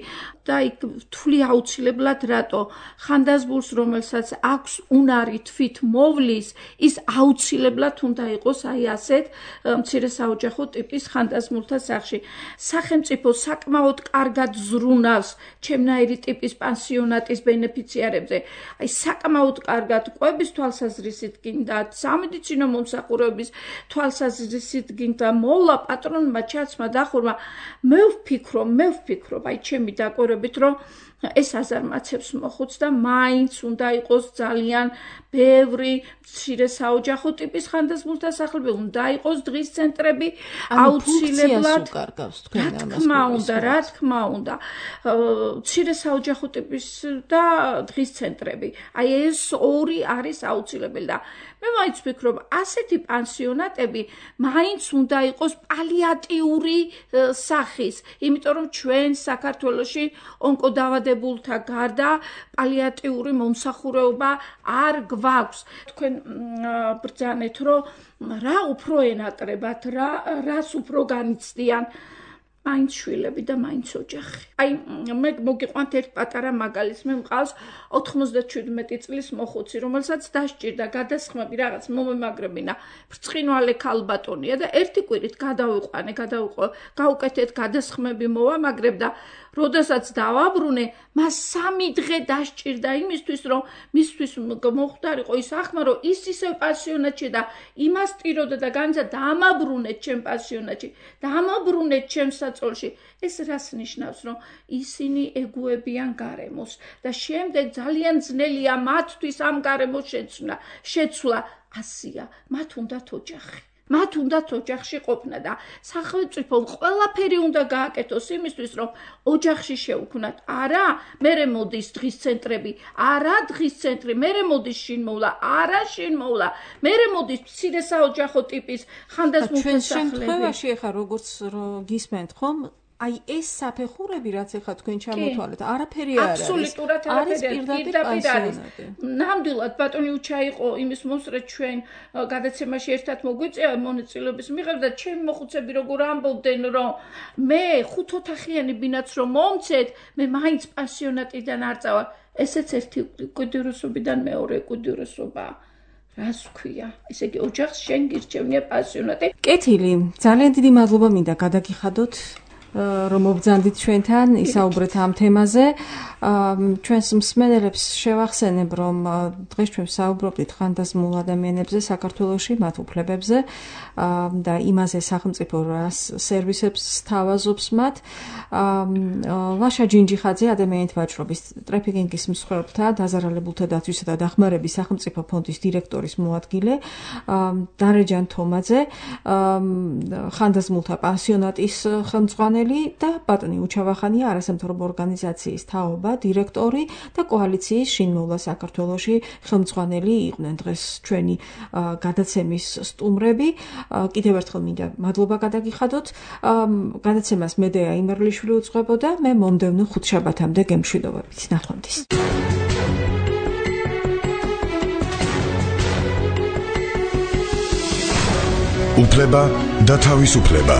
და იქ ვთვლი აუცილებლად რატო ხანდაზმულს რომელსაც აქვს უნარი თვით მოვლის ის აუცილებლად უნდა იყოს აი ასეთ მცირე საოჯახო ტიპის ხანდაზმულთა სახში სახელმწიფო საკმაოდ კარგად ზრუნავს ჩემნაირი ტიპის პანსიონატის ბენეფიციარებზე აი საკმაოდ კარგად ყვების თვალსაზრისით გინდა სამედიცინო მომსახურების თვალსაზრისით გინდა მოვლა პატრონმა ჩაცმა დახურმა მე ვფიქრობ მე ვფიქრობ აი ჩემი დაკვირვებით რომ ეს აზარმაცებს მოხუც და მაინც უნდა იყოს ძალიან ბევრი მცირე საოჯახო ტიპის ხანდაზმულთა სახლები უნდა იყოს დღის ცენტრები აუცილებლად რა თქმა უნდა რა თქმა უნდა მცირე საოჯახო ტიპის და დღის ცენტრები აი ეს ორი არის აუცილებელი და მე მაინც ვფიქრობ ასეთი პანსიონატები მაინც უნდა იყოს პალიატიური სახის იმიტომ რომ ჩვენ საქართველოში ონკოდაავადებულთა გარდა პალიატიური მომსახურება არ გვაქვს თქვენ ბრძანეთ რომ რა უფრო ენატრებათ რა რას უფრო განიცდიან მაინც შვილები და მაინც ოჯახი. აი მე მოგიყვანთ ერთ პატარა მაგალითს მე მყავს ოთხმოცდაშვიდმეტი წლის მოხუცი რომელსაც დასჭირდა გადასხმები რაღაც მომემაგრებინა ბრწყინვალე ქალბატონია და ერთი კვირით გადავიყვანე გადავიყო გაუკეთეთ გადასხმები მოვამაგრებ და როდესაც დავაბრუნე მას სამი დღე დასჭირდა იმისთვის რომ მისთვის მოხდარიყო ის ახმა რომ ის ისევ პანსიონატში და იმას ტიროდა და განსა დამაბრუნეთ ჩემ პანსიონატში დამაბრუნეთ ჩემ საწოლში ეს რას ნიშნავს რომ ისინი ეგუებიან გარემოს და შემდეგ ძალიან ძნელია მათთვის ამ გარემოს შეცვლა შეცვლა ასია მათ უნდათ ოჯახი მათ უნდათ ოჯახში ყოფნა და სახელმწიფომ ყველაფერი უნდა გააკეთოს იმისთვის რომ ოჯახში შეუქმნათ არა მერე მოდის დღის ცენტრები არა დღის ცენტრი მერე მოდის შინმოვლა არა შინმოვლა მერე მოდის მცირე საოჯახო ტიპის ხანდაზმულთა სახლები ჩვენ შემთხვევაში ახლა როგორც გისმენთ ხომ აი ეს საფეხურები რაც ახლა თქვენ ჩამოთვალეთ არაფერი არ არის აბსოლუტურად არაფერი პირდაპირ არის ნამდვილად ბატონი უჩა იყო იმის მოსწრეთ ჩვენ გადაცემაში ერთად მოგვიწევა მონაწილეობის მიღებ და ჩემი მოხუცები როგორ ამბობდნენ რომ მე ხუთ ოთახიანი ბინაც რომ მომცეთ მე მაინც პანსიონატიდან არ წავალ ესეც ერთი კვირდიურესობიდან მეორე კვირდიურესობა რას ვქვია ესე იგი ოჯახს შენ გირჩევნია პანსიონატი კეთილი ძალიან დიდი მადლობა მინდა გადაგიხადოთ რომ მობრძანდით ჩვენთან ისაუბრეთ ამ თემაზე. ჩვენს მსმენელებს შევახსენებ, რომ დღეს ჩვენ საუბრობდით ხანდაზმულ ადამიანებზე საქართველოში, მათ უფლებებზე და იმაზე სახელმწიფო რას სერვისებს სთავაზობს მათ. ლაშა ჯინჯიხაძე ადამიანთა ვაჭრობის ტრაფიკინგის მსხვერპლთა, დაზარალებულთა დაცვისა და დახმარების სახელმწიფო ფონდის დირექტორის მოადგილე, დარეჯან თომაძე, ხანდაზმულთა პანსიონატის ხელმძღვანელი და ბატონი უჩავახანია არასამთავრობო ორგანიზაციის თაობა დირექტორი და კოალიციის შინმოვლა საქართველოში ხელმძღვანელი იყვნენ დღეს ჩვენი გადაცემის სტუმრები. კიდევ ერთხელ მინდა მადლობა გადაგიხადოთ. გადაცემას მედეა იმერლიშვილი უძღვებოდა. მე მომდევნო ხუთშაბათამდე გემშვიდობებით. ნახვამდის. უფლება და თავისუფლება.